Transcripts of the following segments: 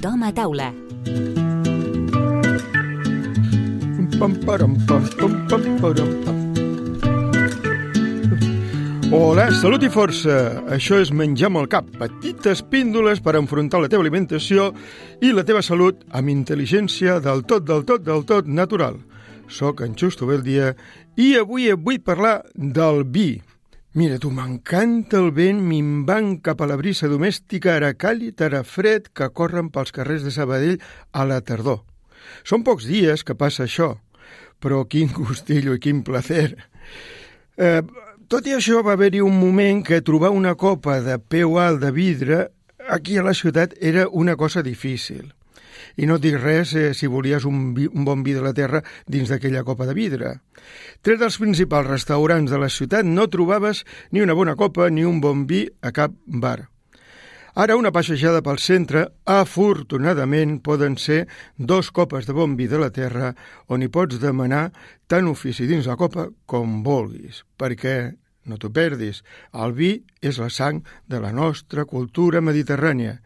Tothom a taula. Hola, salut i força! Això és Menjar amb el cap, petites píndoles per enfrontar la teva alimentació i la teva salut amb intel·ligència del tot natural. Soc en Xusto Beldia i avui vull parlar del vi. Mira, tu, m'encanta el vent minvant cap a la brisa domèstica, ara càlid, ara fred, que corren pels carrers de Sabadell a la tardor. Són pocs dies que passa això, però quin gustillo i quin placer. Tot i això, va haver-hi un moment que trobar una copa de peu alt de vidre aquí a la ciutat era una cosa difícil. I no et dic res si volies un bon vi de la terra dins d'aquella copa de vidre. Tret dels principals restaurants de la ciutat no trobaves ni una bona copa ni un bon vi a cap bar. Ara una passejada pel centre, afortunadament, poden ser 2 copes de bon vi de la terra on hi pots demanar tant ofici dins la copa com vulguis, perquè, no t'ho perdis, el vi és la sang de la nostra cultura mediterrània.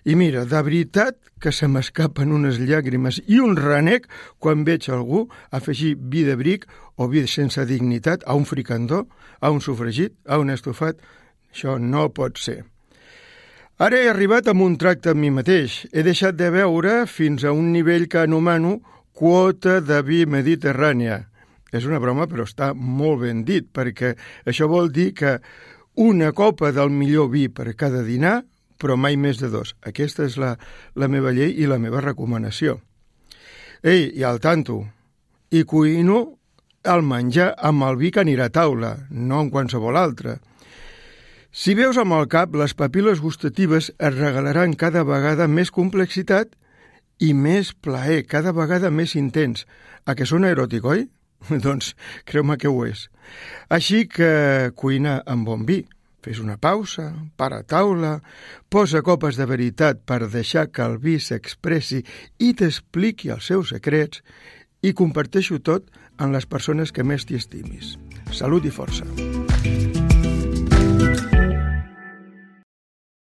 I mira, de veritat que se m'escapen unes llàgrimes i un renec quan veig algú afegir vi de bric o vi sense dignitat a un fricandó, a un sofregit, a un estofat. Això no pot ser. Ara he arribat amb un tracte amb mi mateix. He deixat de beure fins a un nivell que anomeno quota de vi mediterrània. És una broma, però està molt ben dit, perquè això vol dir que una copa del millor vi per cada dinar, però mai més de 2. Aquesta és la meva llei i la meva recomanació. Ei, i al tanto, i cuino el menjar amb el vi que anirà a taula, no amb qualsevol altre. Si veus amb el cap, les papil·les gustatives es regalaran cada vegada més complexitat i més plaer, cada vegada més intens. A què sona eròtic, oi? Doncs creu-me que ho és. Així que cuina amb bon vi. Fes una pausa, para a taula, posa copes de veritat per deixar que el vi s'expressi i t'expliqui els seus secrets i comparteixo tot amb les persones que més t'hi estimis. Salut i força!